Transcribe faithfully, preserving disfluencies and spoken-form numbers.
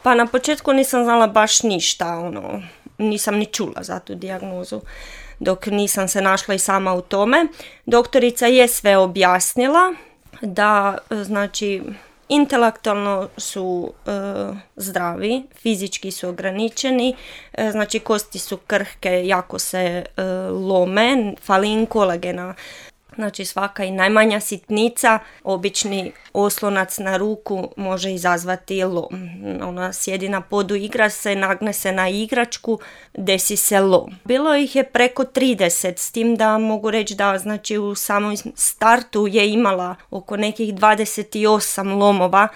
Pa na početku nisam znala baš ništa, ono, nisam ni čula za tu dijagnozu dok nisam se našla i sama u tome. Doktorica je sve objasnila da, znači, intelektualno su e, zdravi, fizički su ograničeni, e, znači kosti su krhke, jako se e, lome, fali im kolagena. Znači svaka i najmanja sitnica, obični oslonac na ruku može izazvati lom. Ona sjedi na podu, igra se, nagne se na igračku, desi se lom. Bilo ih je preko trideset, s tim da mogu reći da znači u samom startu je imala oko nekih dvadeset osam lomova.